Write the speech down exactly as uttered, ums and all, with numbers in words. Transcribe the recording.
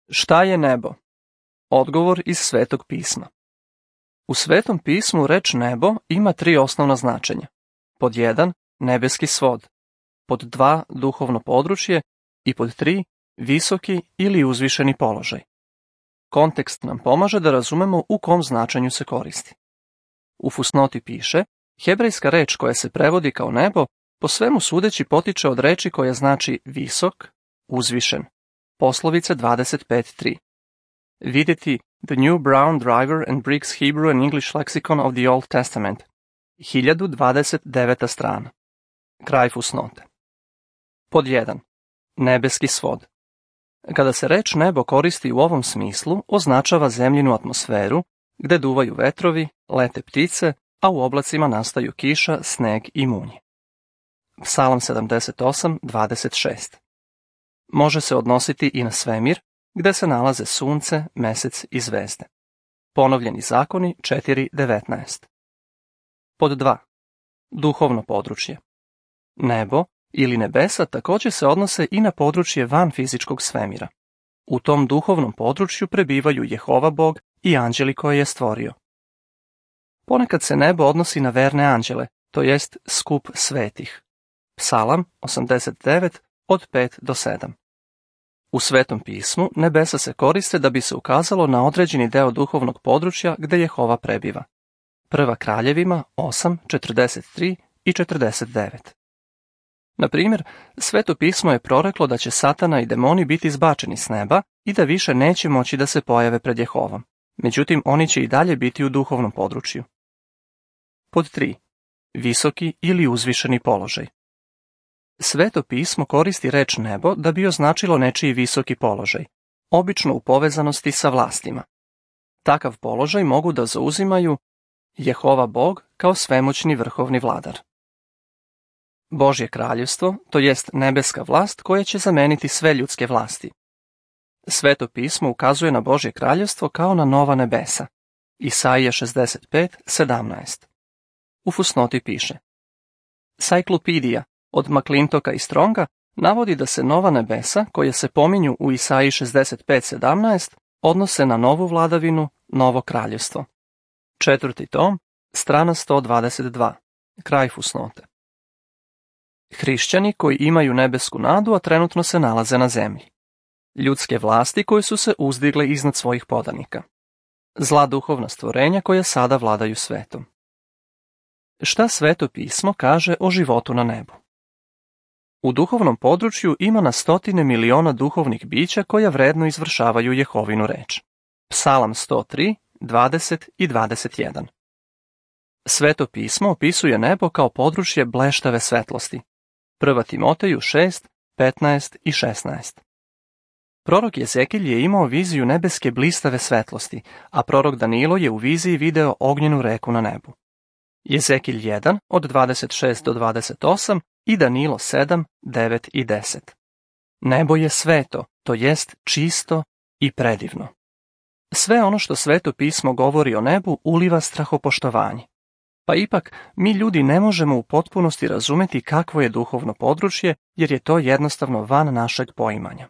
Šta je nebo? Odgovor iz Svetog pisma. U Svetom pismu reč nebo ima tri osnovna značenja. Pod jedan, nebeski svod. Pod dva, duhovno područje i pod tri, visoki ili uzvišeni položaj. Kontekst nam pomaže da razumemo u kom značenju se koristi. U fusnoti piše, hebrejska reč koja se prevodi kao nebo, po svemu sudeći potiče od reči koja znači visok, uzvišen. Poslovice dvadeset pet tri. Vidjeti The New Brown Driver and Briggs Hebrew and English Lexicon of the Old Testament. hiljadu dvadeset deveta strana. Kraj fusnote. Pod jedan. Nebeski svod. Kada se reč nebo koristi u ovom smislu, označava zemljinu atmosferu, gde duvaju vetrovi, lete ptice, a u oblacima nastaju kiša, sneg i munj. Psalam sedamdeset osam dvadeset šest. Može se odnositi i na svemir, gde se nalaze sunce, mesec i zvezde. Ponovljeni zakoni četiri devetnaest. Pod dva. Duhovno područje. Nebo ili nebesa također se odnose i na područje van fizičkog svemira. U tom duhovnom području prebivaju Jehova Bog i anđeli koje je stvorio. Ponekad se nebo odnosi na verne anđele, to jest skup svetih. Psalam osamdeset devet od pet do sedam. U Svetom pismu nebesa se koriste da bi se ukazalo na određeni deo duhovnog područja gde Jehova prebiva. Prva Kraljevima osam četrdeset tri i četrdeset devet. Na primjer, Sveto pismo je proreklo da će Satana i demoni biti izbačeni s neba i da više neće moći da se pojave pred Jehovom. Međutim, oni će i dalje biti u duhovnom području. Pod tri. Visoki ili uzvišeni položaj. Sveto pismo koristi reč nebo da bi označilo nečiji visoki položaj, obično u povezanosti sa vlastima. Takav položaj mogu da zauzimaju Jehova Bog kao svemoćni vrhovni vladar. Božje kraljevstvo, to jest nebeska vlast koja će zameniti sve ljudske vlasti. Sveto pismo ukazuje na Božje kraljevstvo kao na nova nebesa. Isaija šezdeset pet sedamnaest. U fusnoti piše. Cyclopedia od McClintoka i Stronga navodi da se nova nebesa, koje se pominju u Isaiji šezdeset pet sedamnaest, odnose na novu vladavinu, novo kraljevstvo. Četvrti tom, strana sto dvadeset dva. Kraj fusnote. Hrišćani koji imaju nebesku nadu, a trenutno se nalaze na zemlji. Ljudske vlasti koje su se uzdigle iznad svojih podanika. Zla duhovna stvorenja koja sada vladaju svetom. Šta Sveto pismo kaže o životu na nebu? U duhovnom području ima na stotine miliona duhovnih bića koja vredno izvršavaju Jehovinu reč. Psalam sto tri, dvadeset i dvadeset jedan. Sveto pismo opisuje nebo kao područje bleštave svetlosti. Prva Timoteju šest, petnaest i šesnaest. Prorok Jezekilj je imao viziju nebeske blistave svetlosti, a prorok Danilo je u viziji video ognjenu reku na nebu. Jezekilj jedan od dvadeset šest do dvadeset osam i Danilo sedam, devet i deset. Nebo je sveto, to jest čisto i predivno. Sve ono što Sveto pismo govori o nebu uliva strahopoštovanje. Pa ipak, mi ljudi ne možemo u potpunosti razumeti kakvo je duhovno područje, jer je to jednostavno van našeg poimanja.